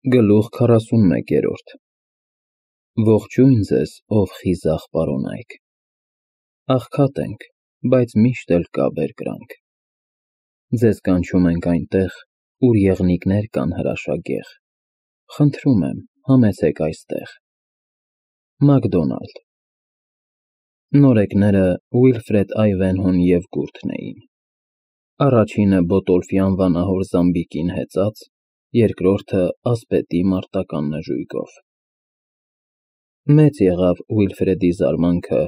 Գլուխ 41 Ողջույն ձեզ, ով խիզախ պարոնայք, աղքատ ենք, բայց միշտ էլ կա բերկրանք, ձեզ կանչում ենք այնտեղ, ուր եղնիկներ կան հրաշագեղ, խնդրում եմ, համեցեք այստեղ, Մակդոնալդ Նորեկները Ուիլֆրեդ Այվենհոն և Գուրթն էին, առաջինը Բոտոլֆի անվանահոր Զամբիկին հեծած, երկրորդը ասպետի մարտական նժույգով։ Մեծ եղավ Ուիլֆրեդի զարմանքը,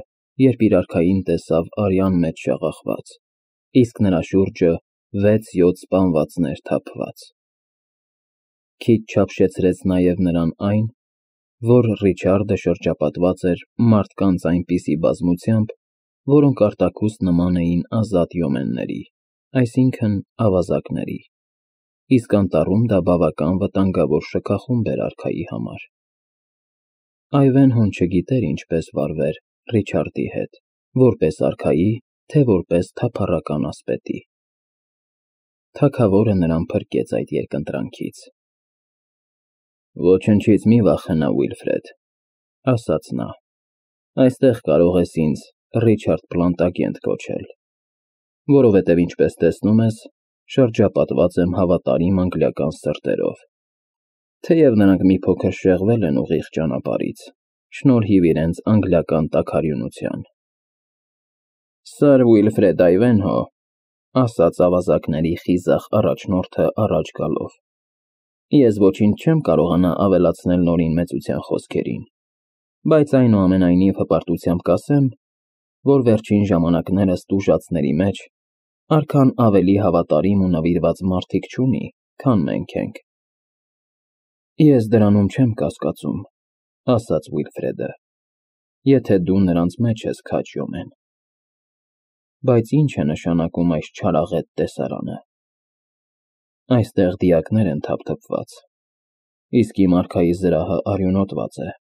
երբ իր արքային տեսավ արյան մեջ շաղախված, իսկ նրա շուրջը 6-7 սպանվածներ թափված։ Քիչ չափշեցրեց նաև նրան այն, որ Ռիչարդը շրջապատված էր մարդկանց այնպիսի բազմությամբ, որոնք արտաքուստ նման էին ազատ յոմենների, այսինքն ավազակների, իսկ անտառում դա բավական վտանգավոր շքախումբ էր արքայի համար։ Այվենհոն չգիտեր ինչպես վարվեր Ռիչարդի հետ, որպես արքայի, թե որպես թափառական ասպետի։ Թագավորը նրան փրկեց այդ երկընտրանքից։ Ոչնչից մի վախենա, Ուիլֆրեդ, ասաց նա, այստեղ կարող ես ինձ Ռիչարդ Պլանտագենտ կոչել, որովհետև ինչպես տեսնում ես, շրջապատված եմ հավատարիմ անգլիական սրտերով, թեև նրանք մի փոքր շեղվել են ուղիղ ճանապարհից, շնորհիվ իրենց անգլիական տաքարյունության։ Սըր Ուիլֆրեդ Այվենհո, ասաց ավազակների խիզախ առաջնորդը առաջ գալով, ես ոչինչ չեմ կարողանա ավելացնել նորին մեծության խոսքերին, բայց այնուամենայնիվ հպարտությամբ կասեմ, որ վերջին ժամանակներս տուժածների մեջ արքան ավելի հավատարիմ ու նվիրված մարդիկ չունի, քան մենք ենք։ Ես դրանում չեմ կասկածում, ասաց Ուիլֆրեդը, եթե դու նրանց մեջ ես քաջ յոմեն։ Բայց ինչ է նշանակում այս չարաղետ տեսարանը։ Այստեղ դիակներ են թափթփված, իսկ իմ արքայի զրահը արյունոտված է։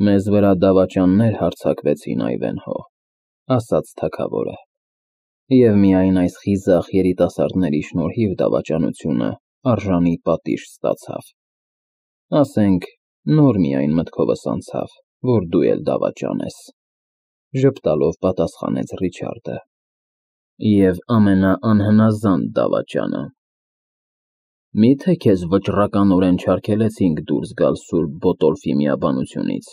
Մեզ վրա դավաճաններ հարձակվեցին, Այվենհո, ասաց թագավորը, և միայն այս խիզախ երիտասարդների շնորհիվ դավաճանությունը արժանի պատիժ ստացավ։ Ասենք, նոր միայն մտքովս անցավ, որ դու էլ դավաճան ես, ժպտալով պատասխանեց Ռիչարդը, և ամենաանհնազանդ դավաճանը։ Միթե քեզ վճռականորեն չարգելեցինք դուրս գալ Սուրբ Բոտոլֆի միաբանությունից,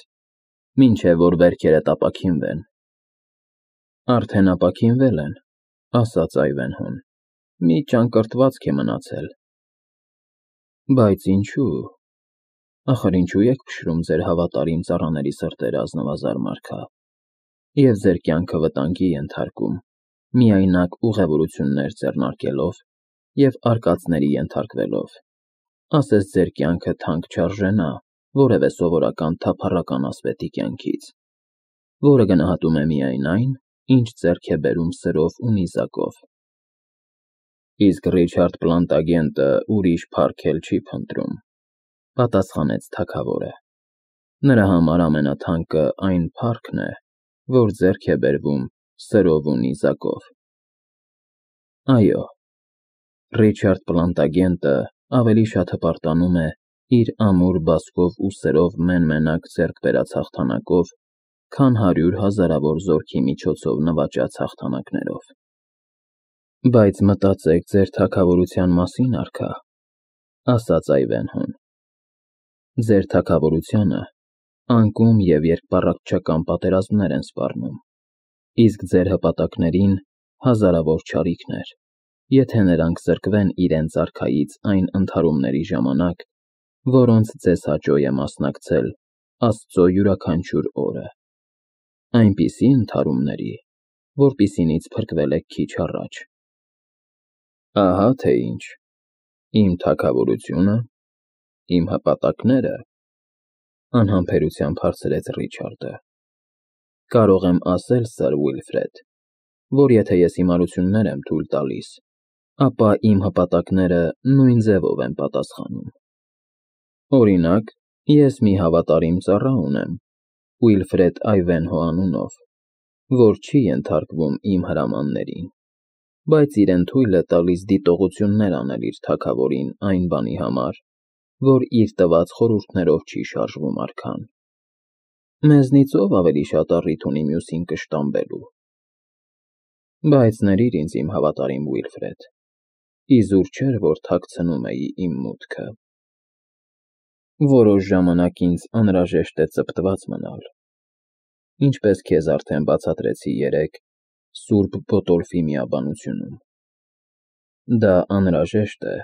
մինչև որ վերքերդ ապաքինվեն։ Արդեն ապաքինվել են, ասաց Այվենհոն, մի ճանկռտվածք է մնացել։ Բայց ինչու՞։ Ախր ինչու եք փշրում ձեր հավատարիմ ծառաների սրտերը, ազնվազար Մարգա, և ձեր կյանքը վտանգի ենթարկում, միայնակ ուղևորություններ ձեռնարկելով և արկածների ենթարկվելով, ասես ձեր կյանքը թանկ չարժենա որևէ սովորական թափառական ասպետի կյանքից, որը գնահատում է միայն այն, ինչ ձեռք է բերում սրով ու նիզակով։ Իսկ Ռիչարդ Պլանտագենտը ուրիշ փառք էլ չի փնտրում, պատասխանեց թագավորը, նրա համար ամենաթանկը այն փառքն է, որ ձեռք է բերվում սրով ու նիզակով։ Այո, Ռիչարդ Պլանտագենտը ավելի շատ հպարտանում է իր ամուր բազկով ու սրով մեն-մենակ ձեռք բերած հաղթանակով, քան 100 հազարավոր զորքի միջոցով նվաճած հաղթանակներով։ Բայց մտածեք ձեր թագավորության մասին, արքա, ասաց Այվենհոն։ Ձեր թագավորությանը անկում և երկպառակտչական պատերազմներ են սպառնում, իսկ ձեր հպատակներին հազարավոր չարիքներ, եթե նրանք զրկվեն իրենց արքայից այն ընդհարումների ժամանակ, որոնց ձեզ հաճո է մասնակցել Աստծո յուրաքանչյուր օրը, այնպիսի ընդհարումների, որպիսինից փրկվել եք քիչ առաջ։ Ահա թե ինչ, իմ թագավորությունը, իմ հպատակները, անհամբերությամբ հարցրեց Ռիչարդը։ Կարող եմ ասել, Սըր Ուիլֆրեդ, որ եթե ես հիմարություններ եմ թույլ տալիս, ապա իմ հպատակները նույն ձևով են պատասխանում։ Օրինակ, ես մի հավատարիմ ծառա ունեմ, Ուիլֆրեդ Այվենհո անունով, որ չի ենթարկվում իմ հրամաններին, բայց իրեն թույլ է տալիս դիտողություններ անել իր թագավորին այն բանի համար, որ իր տված խորհուրդներով չի շարժվում արքան։ Մեզնից ով ավելի շատ առիթ ունի մյուսին կշտամբելու։ Բայց ներիր ինձ իմ հավատարիմ Ուիլֆրեդ, իզուր չէր, որ թաքցնում էի իմ մուտքը։ Որոշ ժամանակ ինձ անհրաժեշտ է ծպտված մնալ, ինչպես քեզ արդեն բացատրեցի երեկ Սուրբ Բոտոլֆի միաբանությունում։ Դա անհրաժեշտ է,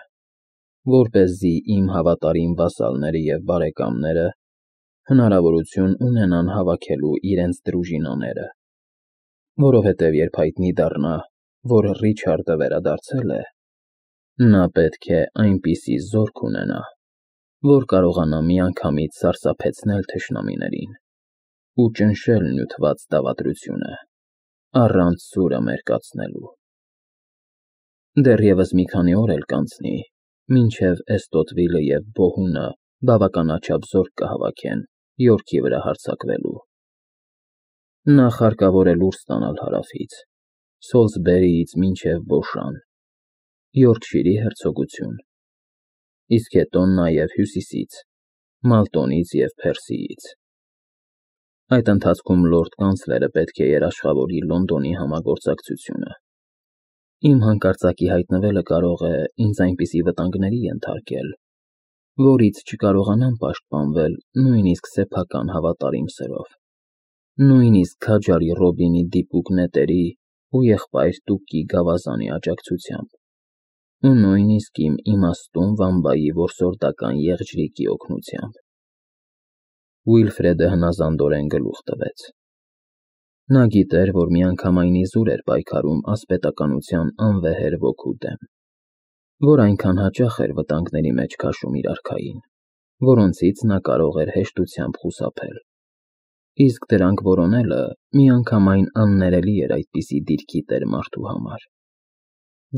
որպեսզի իմ հավատարիմ վասալները և բարեկամները հնարավորություն ունենան հավաքելու իրենց դրուժինաները, որովհետև երբ հայտնի դառնա, որ Ռիչարդը վերադարձել է, նա պետք է այնպիսի զորք ունենա, որ կարողանա միանգամից սարսափեցնել թշնամիներին ու ճնշել նյութված դավադրությունը, առանց սուրը մերկացնելու։ Դեռևս մի քանի օր էլ կանցնի, մինչև Էստոտվիլը և Բոհունը բավականաչափ զորք կհավաքեն Յորքի վրա հարձակվելու։ Նախ հարկավոր է լուր ստանալ հարավից, Սոլսբերիից մինչև Բոշան, Յորքշիրի հերցոգություն, իսկ հետո նաև հյուսիսից, Մալտոնից և Փերսիից։ Այդ ընթացքում լորդ կանցլերը պետք է երաշխավորի Լոնդոնի համագործակցությունը։ Իմ հանկարծակի հայտնվելը կարող է ինձ այնպիսի վտանգների ենթարկել, որից չկարողանամ պաշտպանվել նույնիսկ սեփական հավատարիմ սերով, նույնիսկ քաջարի Ռոբինի դիպուկ նետերի ու եղբայր Տուկի գավազանի աջակցությամբ, ու նույնիսկ իմ իմաստուն վամբայի որսորդական եղջրիկի օգնությամբ։ Ուիլֆրեդը հնազանդորեն գլուխ տվեց։ Նա գիտեր, որ միանգամայն իզուր էր պայքարում ասպետականության անվեհեր ոգու դեմ, որ այնքան հաճախ էր վտանգների մեջ քաշում իր արքային, որոնցից նա կարող էր հեշտությամբ խուսափել, իսկ դրանք որոնելը միանգամայն աններելի էր այդպիսի դիրքի տեր մարդու համար։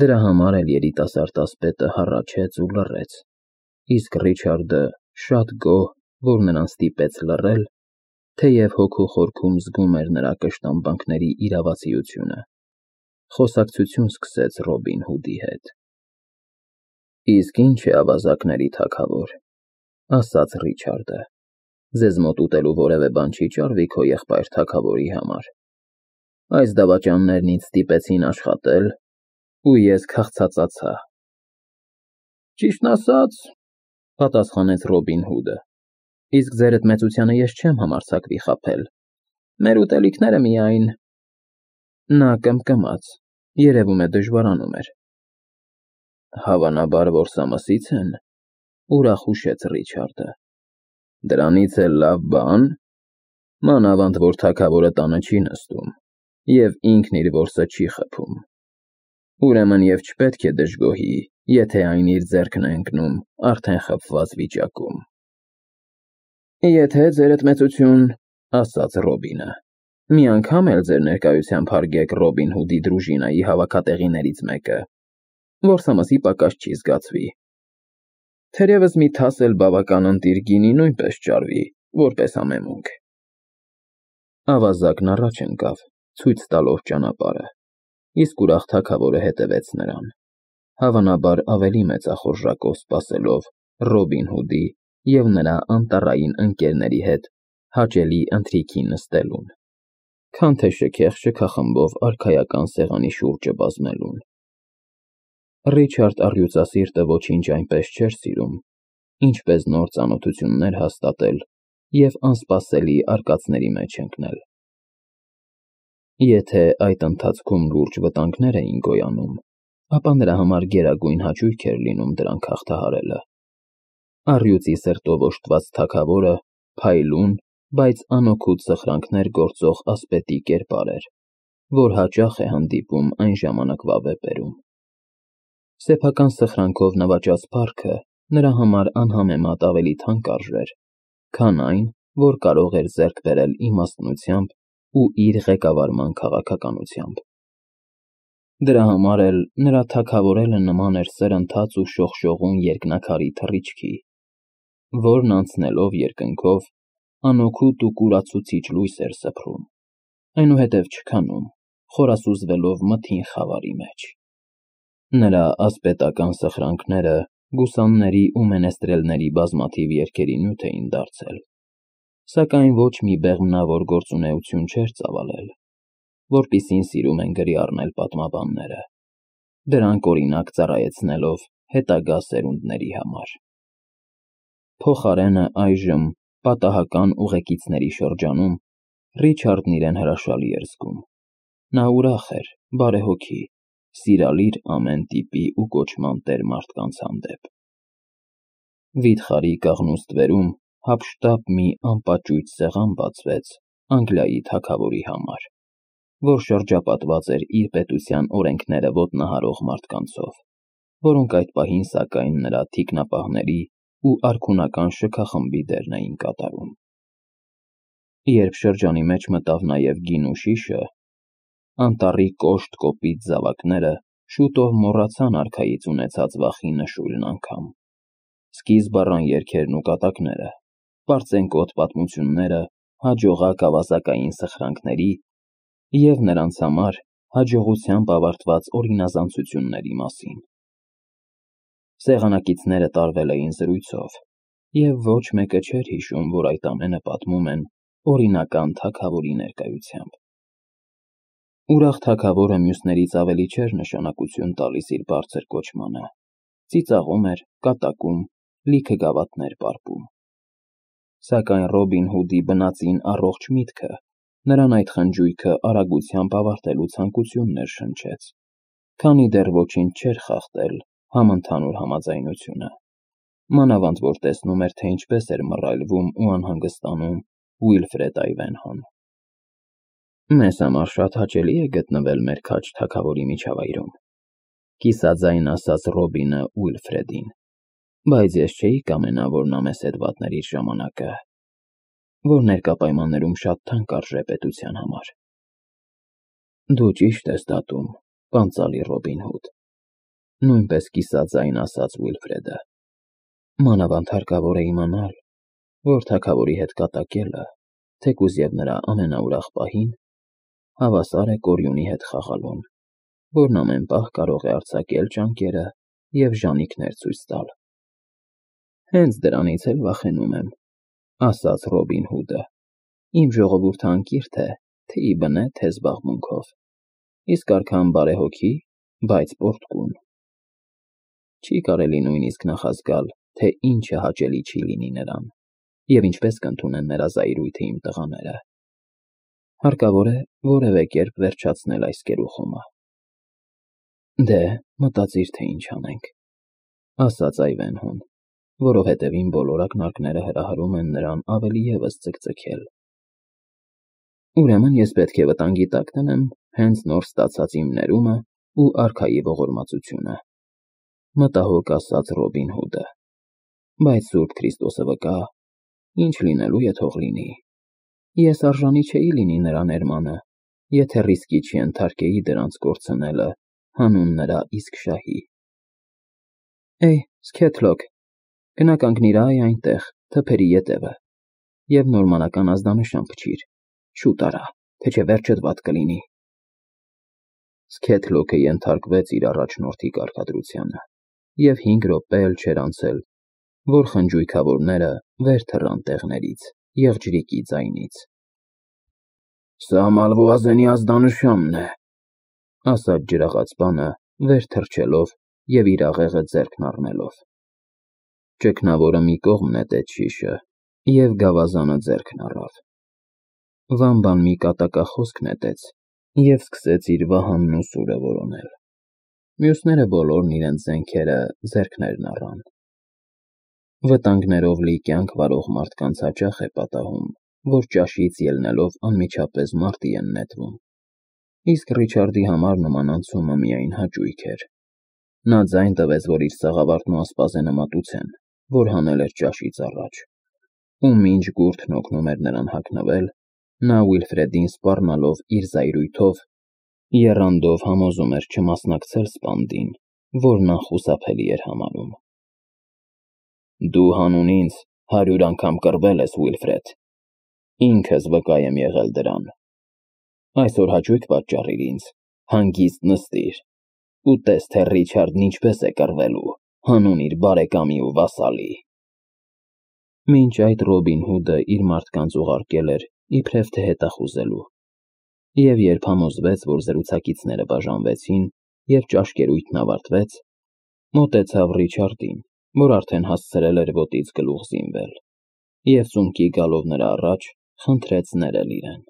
Դրա համար էլ երիտասարդ ասպետը հառաչեց ու լռեց, իսկ Ռիչարդը շատ գոհ, որ նրան ստիպեց լռել, թեև հոգու խորքում զգում էր նրա կշտամբանքների իրավացիությունը, խոսակցություն սկսեց Ռոբին Հուդի հետ։ Իսկ ինչ է ավազակների թագավոր, ասաց Ռիչարդը, ձեզ մոտ ուտելու որևէ բան չի ճարվի քո եղբայր թագավորի համար։ Այս դավաճաններն ինձ ստիպեցին աշխատել, ու ես քաղցածացա։ Ճիշտն ասած, պատասխանեց Ռոբին Հուդը, իսկ ձերդ մեծությանը ես չեմ համարձակվի խաբել, մեր ուտելիքները միայն… Նա կմկմաց, երևում է դժվարանում էր։ Հավանաբար որսամսից են, ուրախ հուշեց Ռիչարդը։ Դրանից էլ լավ բան, մանավանդ որ թագավորը տանը չի նստում և ինքն իր որսը չի խփում, ուրեմն և չպետք է դժգոհի, եթե այն իր ձեռքն է ընկնում արդեն խփված վիճակում։ Եթե ձերդ մեծություն, ասաց Ռոբինը, մի անգամ էլ ձեր ներկայությամբ հարգեք Ռոբին Հուդի դրուժինայի հավաքատեղիներից մեկը, որսամսի պակաս չի զգացվի։ Թերևս մի թաս էլ բավական ընտիր գինի նույնպես ճարվի, որպես համեմունք։ Ավազակն առաջ ընկավ, ցույց տալով ճանապարհը, իսկ ուրախ թագավորը հետևեց նրան, հավանաբար ավելի մեծախորժակով սպասելով Ռոբին Հուդի և նրա անտառային ընկերների հետ հաճելի ընթրիքի նստելուն, քան թե շքեղ-շքախմբով արքայական սեղանի շուրջը բազմելուն։ Ռիչարդ առյուծասիրտը ոչինչ այնպես չէր սիրում, ինչպես նոր ծանոթություններ հաստատել և անսպասելի արկածների մեջ ընկնել։ Եթե այդ ընթացքում լուրջ վտանգներ էին գոյանում, ապա նրա համար գերագույն հաճույք էր լինում դրանք հաղթահարելը։ Առյուծի սրտով օժտված թագավորը փայլուն, բայց անօգուտ սխրանքներ գործող ասպետի կերպար էր, որ հաճախ է հանդիպում այն ժամանակվա վեպերում։ Սեփական սխրանքով նվաճած փառքը նրա համար անհամեմատ ավելի թանկ արժեր, քան այն, որ կարող էր ձեռք բերել իմաստնությամբ ու իր ղեկավարման քաղաքականությամբ։ Դրա համար էլ նրա թագավորելը նման էր սրընթաց ու շողշողուն երկնաքարի թռիչքի, որն անցնելով երկնքով անօգուտ ու կուրացուցիչ լույս էր սփռում, այնուհետև չքանում, խորասուզվելով մթին խավարի մեջ։ Նրա ասպետական սխրանքները գուսանների ու մենեստրելների բազմաթիվ երգերի նյութ էին դարձել, սակայն ոչ մի բեղմնավոր գործունեություն չէր ծավալել, որպիսին սիրում են գրի առնել պատմաբանները, դրանք օրինակ ծառայեցնելով հետագա սերունդների համար։ Փոխարենը այժմ պատահական ուղեկիցների շրջանում Ռիչարդն իրեն հրաշալի էր զգում։ Նա ուրախ էր, բարեհոգի, սիրալիր ամեն տիպի ու կոչման տեր մարդկանց հանդեպ։ Վիթխարի կաղնուստվերում հափշտապ մի անպաճույճ սեղան բացվեց Անգլիայի թագավորի համար, որ շրջապատված էր իր պետության օրենքները ոտնահարող մարդկանցով, որոնք այդ պահին սակայն նրա թիկնապահների ու արքունական շքախմբի դերն էին կատարում։ Երբ շրջանի մեջ մտավ նաև գինու շիշը, անտառի կոշտ կոպիտ զավակները շուտով մոռացան արքայից ունեցած վախի նշույլն անգամ։ Սկիզբ առան երգերն ու կատակները, պարծենկոտ պատմությունները հաջողակ ավազակային սխրանքների և նրանց համար հաջողությամբ ավարտված օրինազանցությունների մասին։ Սեղանակիցները տարվել էին զրույցով, և ոչ մեկը չէր հիշում, որ այդ ամենը պատմում են օրինական թագավորի ներկայությամբ։ Ուրախ թագավորը մյուսներից ավելի չէր նշանակություն տալիս իր բարձր կոչմանը, ծիծաղում էր, կատակում, լիքը գավաթներ պարպում։ Սակայն Ռոբին Հուդի բնածին առողջ միտքը նրան այդ խնջույքը արագությամբ ավարտելու ցանկություն ներշնչեց, քանի դեռ ոչինչ չէր խախտել համընդհանուր համաձայնությունը, մանավանդ որ տեսնում էր, թե ինչպես էր մռայլվում ու անհանգստանում Ուիլֆրեդ Այվենհոն։ Մեզ համար շատ հաճելի է գտնվել մեր քաջ թագավորի միջավայրում, կիսաձայն ասաց Ռոբինը Ուիլֆրեդին, բայց ես չէի կամենա, որ նա մեզ հետ վատներ իր ժամանակը, որ ներկա պայմաններում շատ թանկ արժե պետության համար։ Դու ճիշտ ես դատում, պանծալի Ռոբին Հուդ, նույնպես կիսաձայն ասաց Ուիլֆրեդը, մանավանդ հարկավոր է իմանալ, որ թագավորի հետ կատակելը, թեկուզ և նրա ամենաուրախ պահին, հավասար է կորյունի հետ խաղալուն, որն ամեն պահ կարող է արձակել ճանկերը և ժանիքներ ցույց տալ։ Հենց դրանից էլ վախենում եմ, ասաց Ռոբին Հուդը, իմ ժողովուրդը անկիրթ է, թե ի բնե, թե զբաղմունքով, իսկ արքան բարեհոգի, բայց պոռթկուն։ Չի կարելի նույնիսկ նախազգալ, թե ինչը հաճելի չի լինի նրան, և ինչպես կընդունեն նրա զայրույթը իմ տղաները։ Հարկավոր է որևէ կերպ վերջացնել այս գերուխումը։ Դե, մտածիր, թե ինչ անենք, ասաց Այվենհոն, որովհետև իմ բոլոր ակնարկները հրահրում են նրան ավելի ևս ձգձգել։ Ուրեմն ես պետք է վտանգի տակ դնեմ հենց նոր ստացած իմ ներումը ու արքայի ողորմածությունը, մտահոգ ասաց Ռոբին Հուդը, բայց Սուրբ Քրիստոսը վկա, ինչ լինելու է թող լինի։ Ես արժանի չէի լինի նրա ներմանը, եթե ռիսկի չենթարկեի դրանց կորցնելը հանուն նրա իսկ շահի։ Էյ, Սքեթլոք, գնա կանգնիր այնտեղ, թփերի ետևը, և նորմանական ազդանշան փչիր, շուտ արա, թե չէ վերջդ վատ կլինի։ Սքեթլոքը ենթարկվեց իր առաջնորդի կարգադրությանը, և 5 րոպե էլ չէր անցել, որ խնջույքավորները վեր թռան տեղներից, եղջյուրիկի ձայնից։ Սա Մալվուազենի ազդանշանն է, ասաց ջրաղացպանը, վեր թռչելով և իր աղեղը ձեռքն առնելով։ Ճգնավորը մի կողմ նետեց շիշը և գավազանը ձեռքն առավ։ Վամբան մի կատակախոսք նետեց և սկսեց իր վահանն ու սուրը որոնել։ Մյուսները բոլորն իրենց զենքերը ձեռքներն առան։ Վտանգներով լի կյանք վարող մարդկանց հաճախ է պատահում, որ ճաշից ելնելով անմիջապես մարտի են նետվում, իսկ Ռիչարդի համար նման անցումը միայն հաճույք էր։ Նա ձայն տվեց, որ իր սաղավարտն ու ասպազենը մատուցեն, որ հանել էր ճաշից առաջ, ու մինչ գուրդն օգնում էր նրան հագնվել, նա Ուիլֆրեդին սպառնալով իր զայրույթով, եռանդով համոզում էր չմասնակցել սպանդին, որն անխուսափելի էր համարում։ Դու հանուն ինձ 100 անգամ կռվել ես, Ուիլֆրեդ, ինքս վկա եմ եղել դրան։ Այսօր հաճույք պատճառիր ինձ, հանգիստ նստիր ու տես, թե Ռիչարդն ինչպես է կռվելու։ հանուն իր բարեկամի ու վասալի։ Մինչ այդ Ռոբին Հուդը իր մարդկանց ուղարկել էր իբրև թե հետախուզելու, և երբ համոզվեց, որ զրուցակիցները բաժանվեցին և ճաշկերույթն ավարտվեց, մոտեցավ Ռիչարդին, որ արդեն հասցրել էր ոտից գլուխ զինվել, և ծունկի գալով նրա առաջ խնդրեց ներել իրեն։